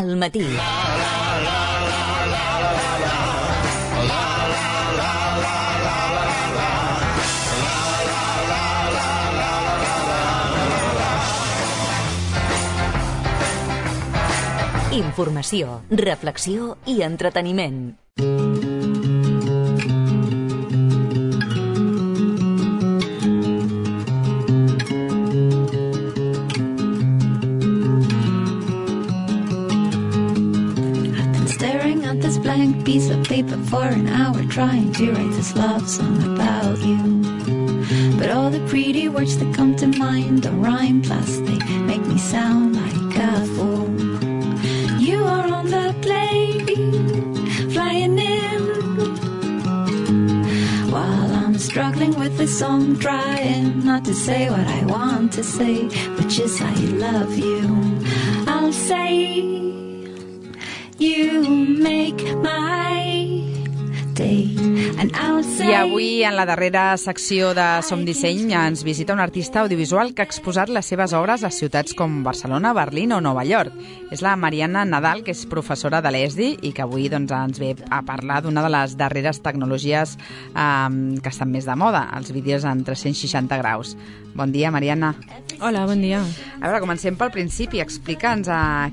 al matí. Informació, reflexió i entreteniment. Blank piece of paper for an hour trying to write this love song about you, but all the pretty words that come to mind don't rhyme, plus they make me sound like a fool. You are on the plane flying in while I'm struggling with this song, trying not to say what I want to say, which is I love you. I'll say you make my day. I avui, en la darrera secció de Som Disseny, ens visita un artista audiovisual que ha exposat les seves obres a ciutats com Barcelona, Berlín o Nova York. És la Mariana Nadal, que és professora de l'ESDI i que avui ens ve a parlar d'una de les darreres tecnologies que estan més de moda, els vídeos en 360 graus. Bon dia, Mariana. Hola, bon dia. A veure, comencem pel principi. Explica'ns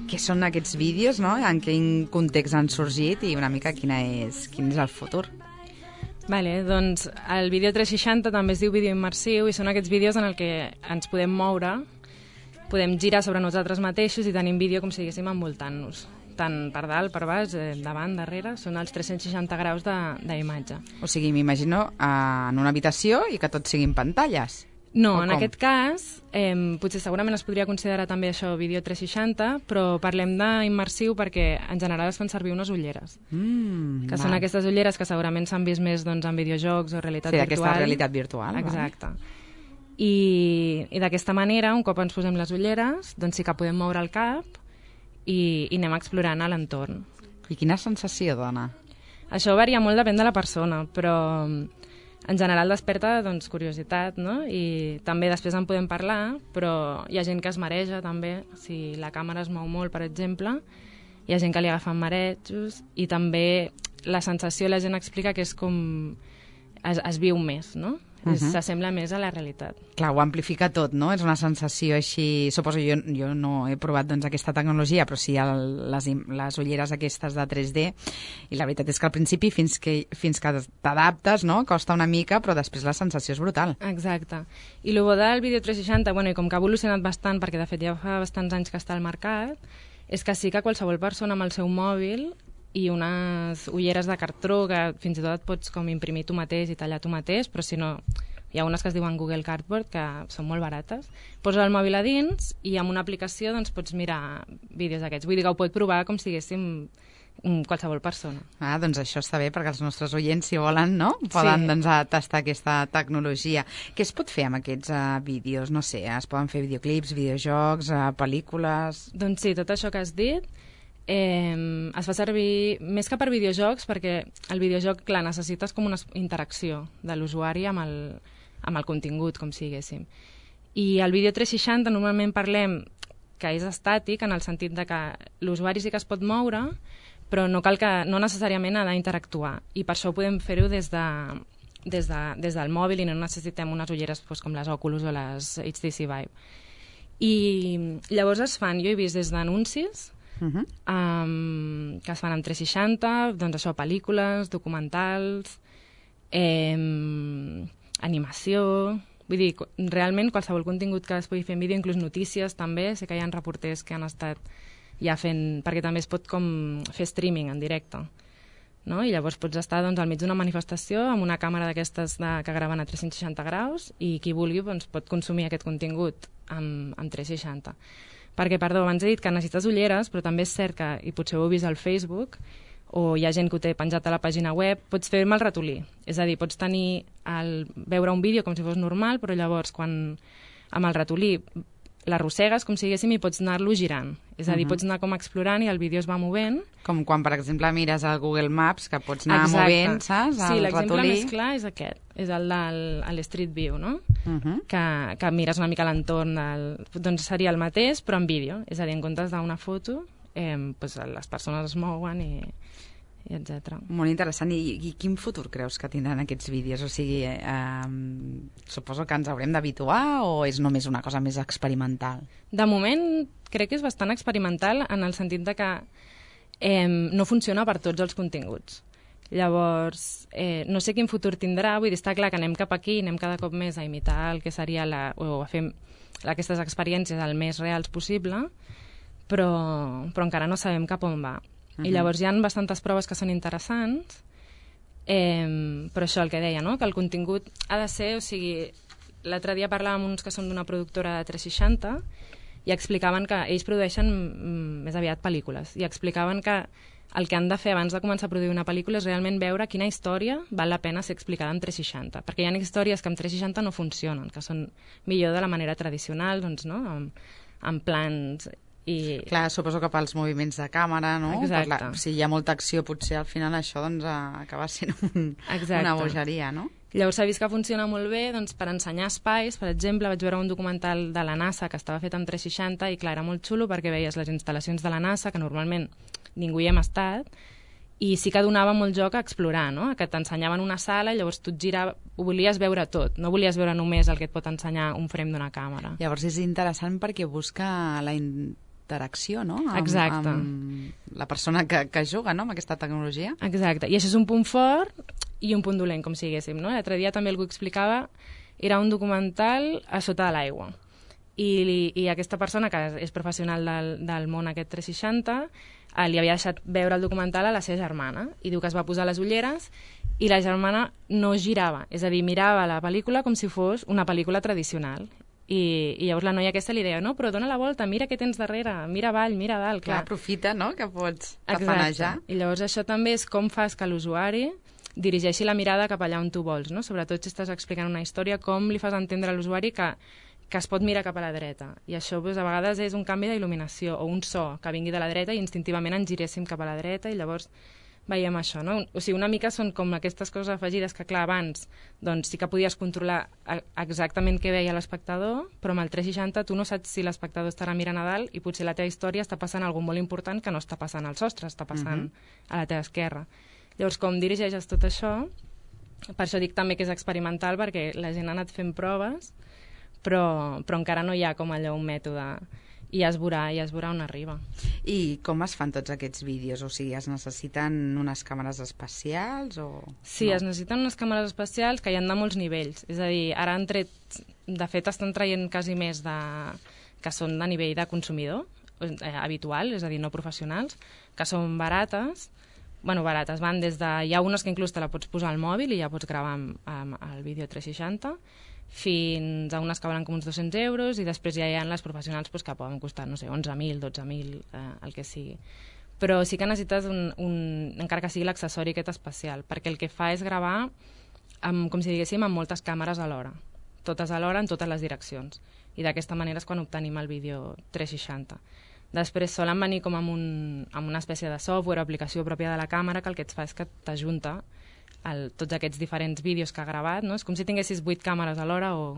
què són aquests vídeos, no? En quin context han sorgit i una mica quin és el futur. Vale, doncs el vídeo 360 també es diu vídeo immersiu i són aquests vídeos en el que ens podem moure, podem girar sobre nosaltres mateixos i tenim vídeo com si diguéssim envoltant-nos. Tant per dalt, per baix, davant, darrere, són els 360 graus d'imatge. O sigui, m'imagino en una habitació i que tot siguin pantalles. No, en aquest cas, potser segurament es podria considerar també això vídeo 360, però parlem d'immersiu perquè en general es fan servir unes ulleres, que són aquestes ulleres que segurament s'han vist més en videojocs o realitat virtual. Sí, aquesta realitat virtual. Exacte. I d'aquesta manera, un cop ens posem les ulleres, doncs sí que podem moure el cap i anem explorant a l'entorn. I quina sensació dona? Això varia molt, depèn de la persona, però en general desperta curiositat, no? I també després en podem parlar, però hi ha gent que es mareja també, si la càmera es mou molt, per exemple, hi ha gent que li agafen marejos i també la sensació la gent explica que és com es viu més, no? S'assembla més a la realitat. Clar, ho amplifica tot, no? És una sensació així... Suposo, jo no he provat aquesta tecnologia, però sí les ulleres aquestes de 3D, i la veritat és que al principi, fins que t'adaptes, no? Costa una mica, però després la sensació és brutal. Exacte. I el bo del vídeo 360, i com que ha evolucionat bastant, perquè de fet ja fa bastants anys que està al mercat, és que sí que qualsevol persona amb el seu mòbil i unes ulleres de cartró que fins i tot et pots com imprimir tu mateix i tallar tu mateix, però si no, hi ha unes que es diuen Google Cardboard, que són molt barates. Poses el mòbil a dins i amb una aplicació pots mirar vídeos d'aquests. Vull dir que ho pot provar com si diguéssim qualsevol persona. Doncs això està bé, perquè els nostres oients, si volen, no? Poden tastar aquesta tecnologia. Què es pot fer amb aquests vídeos? No sé, es poden fer videoclips, videojocs, pel·lícules... Doncs sí, tot això que has dit es fa servir més que per videojocs, perquè el videojoc, clar, necessites com una interacció de l'usuari amb el contingut, com si diguéssim. I el vídeo 360 normalment parlem que és estàtic, en el sentit de que l'usuari sí que es pot moure, però no necessàriament ha d'interactuar. I per això podem fer-ho des del mòbil i no necessitem unes ulleres com les Oculus o les HTC Vive. I llavors es fan, jo he vist des d'anuncis, que es fan en 360, doncs això, pel·lícules, documentals, animació... Vull dir, realment qualsevol contingut que es pugui fer en vídeo, inclús notícies també, sé que hi ha reporters que han estat ja fent... perquè també es pot com fer streaming en directe, no? I llavors pots estar al mig d'una manifestació amb una càmera d'aquestes que graven a 360 graus i qui vulgui pot consumir aquest contingut amb 360. Perquè, perdó, abans he dit que necessites ulleres, però també és cert que, i potser ho heu vist al Facebook, o hi ha gent que ho té penjat a la pàgina web, pots fer-me el ratolí. És a dir, pots veure un vídeo com si fos normal, però llavors, quan amb el ratolí l'arrossegues, com si diguéssim, i pots anar-lo girant. És a dir, pots anar com explorant i el vídeo es va movent. Com quan, per exemple, mires el Google Maps, que pots anar movent, saps? Sí, l'exemple més clar és aquest. És el de l'Street View, no? Que mires una mica l'entorn. Doncs seria el mateix, però en vídeo. És a dir, en comptes d'una foto, pues, les persones es mouen i etc. Molt interessant. I quin futur creus que tindran aquests vídeos? O sigui, suposo que ens haurem d'habituar o és només una cosa més experimental? De moment crec que és bastant experimental en el sentit de que no funciona per tots els continguts. Llavors, no sé quin futur tindrà, vull dir, està clar que anem cap aquí, anem cada cop més a imitar el que seria o a fer aquestes experiències el més reals possible, però encara no sabem cap on va. I llavors hi ha bastantes proves que són interessants, però això el que deia, no? Que el contingut ha de ser, o sigui, l'altre dia parlàvem amb uns que són d'una productora de 360 i explicaven que ells produeixen més aviat pel·lícules, i explicaven que el que han de fer abans de començar a produir una pel·lícula és realment veure quina història val la pena ser explicada en 360, perquè hi ha històries que en 360 no funcionen, que són millor de la manera tradicional, doncs, no? amb plans i... Clar, suposo que pels moviments de càmera, no? Exacte. Si hi ha molta acció, potser al final això doncs, acaba sent una bogeria, no? Llavors s'ha vist que funciona molt bé doncs, per ensenyar espais. Per exemple, vaig veure un documental de la NASA que estava fet en 360 i clar, era molt xulo perquè veies les instal·lacions de la NASA, que normalment ningú hi hem estat, i sí que donava molt joc a explorar, no? Que t'ensenyaven una sala i llavors tu et girava, ho volies veure tot, no volies veure només el que et pot ensenyar un frame d'una càmera. Llavors és interessant perquè busca la interacció, no? Exacte. Amb la persona que juga, no? Amb aquesta tecnologia. Exacte, i això és un punt fort i un punt dolent, com si diguéssim, no? L'altre dia també algú explicava, era un documental a sota de l'aigua, i aquesta persona, que és professional del món aquest 360, li havia deixat veure el documental a la seva germana, i diu que es va posar les ulleres i la germana no girava, és a dir, mirava la pel·lícula com si fos una pel·lícula tradicional. I llavors la noia aquesta li deia, no, però dona la volta, mira què tens darrere, mira avall, mira dalt. Clar, aprofita, no?, que pots tafanejar. I llavors això també és com fas que l'usuari dirigeixi la mirada cap allà on tu vols, no? Sobretot si estàs explicant una història, com li fas entendre a l'usuari que es pot mirar cap a la dreta. I això doncs, a vegades és un canvi d'il·luminació o un so que vingui de la dreta i instintivament ens giréssim cap a la dreta i llavors veiem això, no? O sigui, una mica són com aquestes coses afegides que, clar, abans doncs, sí que podies controlar exactament què veia l'espectador, però amb el 360 tu no saps si l'espectador estarà mirant a dalt i potser la teva història està passant alguna molt important que no està passant al sostre, està passant a la teva esquerra. Llavors, com dirigeixes tot això, per això dic també que és experimental, perquè la gent ha anat fent proves, però encara no hi ha com allò un mètode, i ja es veurà on arriba. I com es fan tots aquests vídeos? O sigui, es necessiten unes càmeres especials? Sí, es necessiten unes càmeres especials que hi ha de molts nivells. És a dir, ara han tret, de fet estan traient quasi més que són de nivell de consumidor habitual, és a dir, no professionals, que són barates. Bueno, barates, van des de... Hi ha unes que inclús te la pots posar al mòbil i ja pots gravar amb el vídeo 360, fins a unes que valen com uns 200 euros, i després ja hi ha les professionals que poden costar, no sé, 11.000, 12.000, el que sigui. Però sí que necessites encara que sigui l'accessori aquest especial, perquè el que fa és gravar, com si diguéssim, amb moltes càmeres alhora, totes alhora en totes les direccions, i d'aquesta manera és quan obtenim el vídeo 360. Després solen venir com amb una espècie de software o aplicació pròpia de la càmera que el que et fa és que t'ajunta tots aquests diferents vídeos que ha gravat, no? És com si tinguessis 8 càmeres alhora, o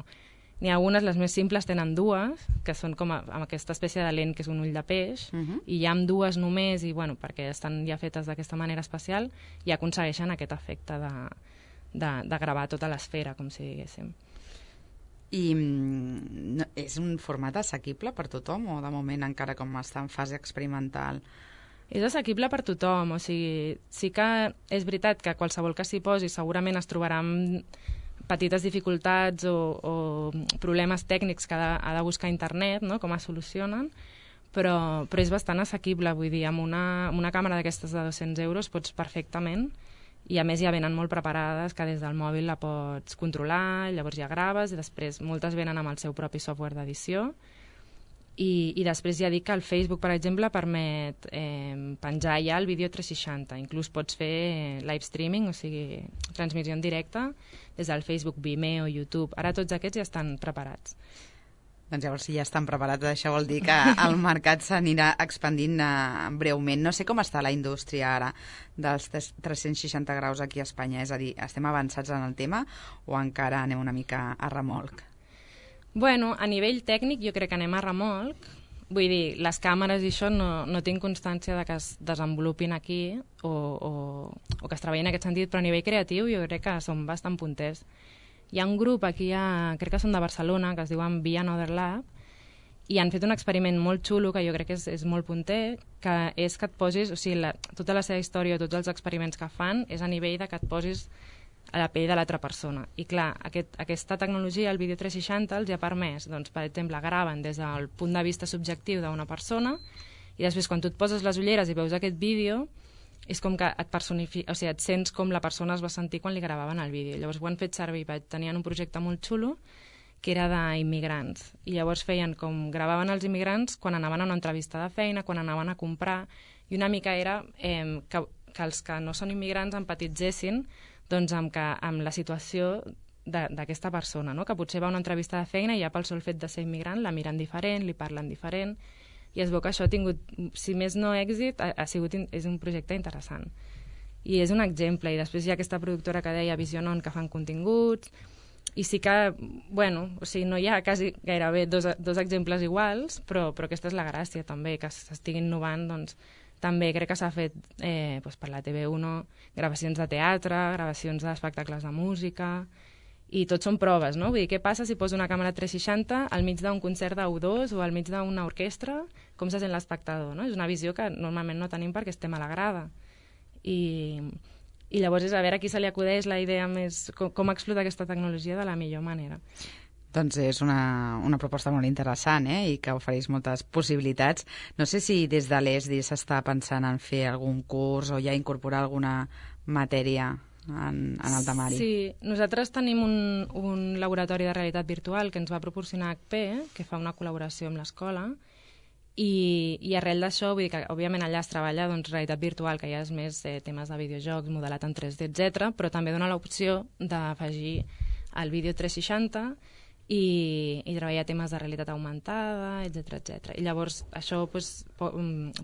n'hi ha algunes, les més simples tenen dues, que són com amb aquesta espècie de lent que és un ull de peix, i ja amb dues només, i bueno, perquè estan ja fetes d'aquesta manera especial, i aconsegueixen aquest efecte de gravar tota l'esfera, com si diguéssim. I és un format assequible per tothom, o de moment encara com està en fase experimental? És assequible per tothom, o sigui, sí que és veritat que qualsevol que s'hi posi segurament es trobarà amb petites dificultats o problemes tècnics que ha de buscar a internet, no?, com es solucionen, però és bastant assequible, vull dir, amb una càmera d'aquestes de 200 euros pots perfectament, i a més ja venen molt preparades, que des del mòbil la pots controlar, llavors ja graves, i després moltes venen amb el seu propi software d'edició. I després ja dic que el Facebook, per exemple, permet penjar ja el vídeo 360. Inclús pots fer live streaming, o sigui, transmissió en directe, des del Facebook, Vimeo, YouTube. Ara tots aquests ja estan preparats. Doncs llavors, si ja estan preparats, això vol dir que el mercat s'anirà expandint breument. No sé com està la indústria ara dels 360 graus aquí a Espanya. És a dir, estem avançats en el tema o encara anem una mica a remolc? Bueno, a nivell tècnic jo crec que anem a remolc, vull dir, les càmeres i això no tinc constància de que es desenvolupin aquí o que es treballi en aquest sentit, però a nivell creatiu jo crec que són bastant punters. Hi ha un grup aquí, crec que són de Barcelona, que es diuen Be Another Lab, i han fet un experiment molt xulo, que jo crec que és molt punter, que és que et posis, o sigui, tota la seva història, tots els experiments que fan, és a nivell de que et posis a la pell de l'altra persona. I clar, aquesta tecnologia, el vídeo 360, els ha permès, doncs, per exemple, graven des del punt de vista subjectiu d'una persona i després quan tu et poses les ulleres i veus aquest vídeo és com que et personifica, o sigui, et sents com la persona es va sentir quan li gravaven el vídeo. Llavors ho han fet servir, tenien un projecte molt xulo que era d'immigrants. I llavors feien com gravaven els immigrants quan anaven a una entrevista de feina, quan anaven a comprar, i una mica era que els que no són immigrants empatitzessin doncs, amb la situació d'aquesta persona, no? Que potser va a una entrevista de feina i ja pel sol fet de ser immigrant la miren diferent, li parlen diferent, i es veu que això ha tingut, si més no èxit, és un projecte interessant. I és un exemple, i després hi ha aquesta productora que deia Visionon, que fan continguts, i sí que, bueno, o sigui, no hi ha quasi gairebé dos exemples iguals, però aquesta és la gràcia també, que s'estigui innovant, doncs, també crec que s'ha fet doncs per la TV1 gravacions de teatre, gravacions d'espectacles de música, i tot són proves, no? Vull dir, què passa si poso una càmera 360 al mig d'un concert d'U2 o al mig d'una orquestra? Com se sent l'espectador, no? És una visió que normalment no tenim perquè estem a la grada. I llavors és a veure a qui se li acudeix la idea més, com explotar aquesta tecnologia de la millor manera. Doncs és una proposta molt interessant, i que ofereix moltes possibilitats. No sé si des de l'ESDI s'està pensant en fer algun curs o ja incorporar alguna matèria en el temari. Sí, nosaltres tenim un laboratori de realitat virtual que ens va proporcionar HP, que fa una col·laboració amb l'escola, i arrel d'això, vull dir que òbviament allà es treballa doncs, realitat virtual, que ja és més temes de videojocs, modelat en 3D, etc, però també dona l'opció d'afegir el vídeo 360 i treballar temes de realitat augmentada, etc. I llavors això doncs,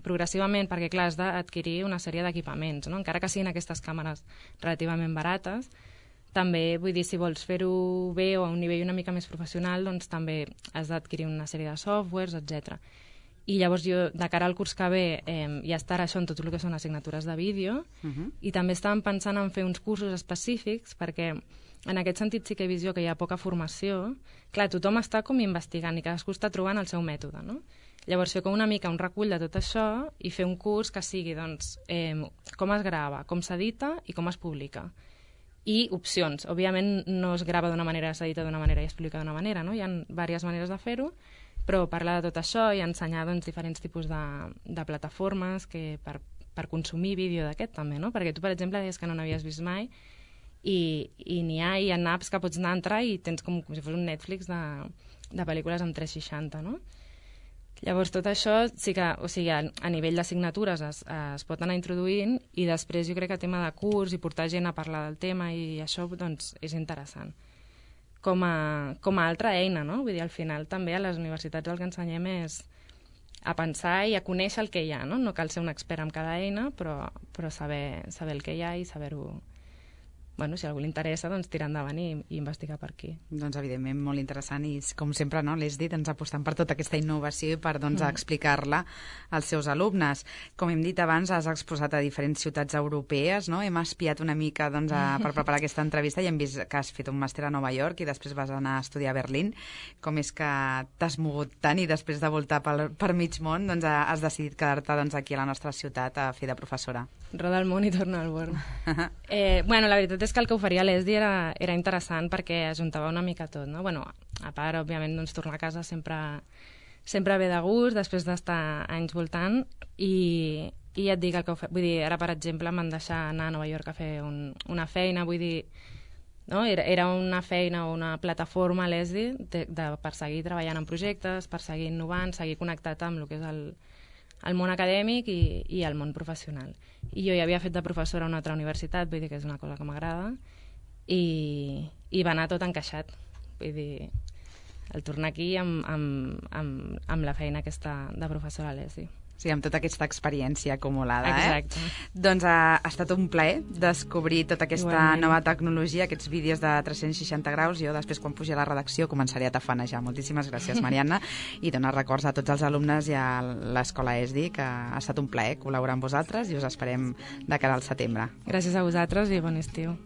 progressivament, perquè clar, has d'adquirir una sèrie d'equipaments, no? Encara que siguin aquestes càmeres relativament barates, també, vull dir, si vols fer-ho bé o a un nivell una mica més professional, doncs també has d'adquirir una sèrie de softwares, etc. I llavors jo, de cara al curs que ve, ja estarà això en tot el que són assignatures de vídeo, i també estàvem pensant en fer uns cursos específics, perquè en aquest sentit sí que he vist jo que hi ha poca formació. Clar, tothom està com investigant i cadascú està trobant el seu mètode, no? Llavors fer com una mica un recull de tot això i fer un curs que sigui, doncs, com es grava, com s'edita i com es publica. I opcions. Òbviament no es grava d'una manera, s'edita d'una manera i es publica d'una manera, no? Hi ha diverses maneres de fer-ho, però parlar de tot això i ensenyar doncs, diferents tipus de plataformes per consumir vídeo d'aquest també, no? Perquè tu, per exemple, deies que no n'havies vist mai i hi ha apps que pots anar a entrar i tens com si fos un Netflix de pel·lícules en 360, no? Llavors tot això sí que, o sigui, a nivell d'assignatures es pot anar introduint i després jo crec que tema de curs i portar gent a parlar del tema i això doncs, és interessant. Com a altra eina, no? Vull dir, al final també a les universitats el que ensenyem és a pensar i a conèixer el que hi ha, no? No cal ser un expert en cada eina, però saber el que hi ha i saber-ho... Bueno, si a algú li interessa, doncs tirar endavant i investigar per aquí. Doncs evidentment molt interessant i com sempre, no, l'has dit, ens apostant per tota aquesta innovació i per doncs, explicar-la als seus alumnes. Com hem dit abans, has exposat a diferents ciutats europees, no? Hem espiat una mica doncs, per preparar aquesta entrevista i hem vist que has fet un màster a Nova York i després vas anar a estudiar a Berlín. Com és que t'has mogut tant i després de voltar per mig món doncs, has decidit quedar-te doncs, aquí a la nostra ciutat a fer de professora? Roda el món i torna al born. Bueno, la veritat és que el que oferia l'ESDI era interessant perquè ajuntava una mica tot, no? Bueno, a part, òbviament, doncs, tornar a casa sempre ve de gust, després d'estar anys voltant, i ja et dic el que vull dir, ara, per exemple, m'han deixat anar a Nova York a fer una feina, vull dir, no? Era una feina o una plataforma a l'ESDI per seguir treballant en projectes, per seguir innovant, seguir connectat amb el que és el món acadèmic i el món professional. I jo ja havia fet de professora a una altra universitat, vull dir que és una cosa que m'agrada, i va anar tot encaixat. Vull dir, el tornar aquí amb la feina aquesta de professora a l'ESI. Sí, amb tota aquesta experiència acumulada. Exacte. Doncs ha estat un plaer descobrir tota aquesta Igualment. nova tecnologia, aquests vídeos de 360 graus. Jo després, quan pugi a la redacció, començaré a tafanejar. Moltíssimes gràcies, Marianna, i donar records a tots els alumnes i a l'Escola ESDI, que ha estat un plaer col·laborar amb vosaltres i us esperem de cara al setembre. Gràcies a vosaltres i bon estiu.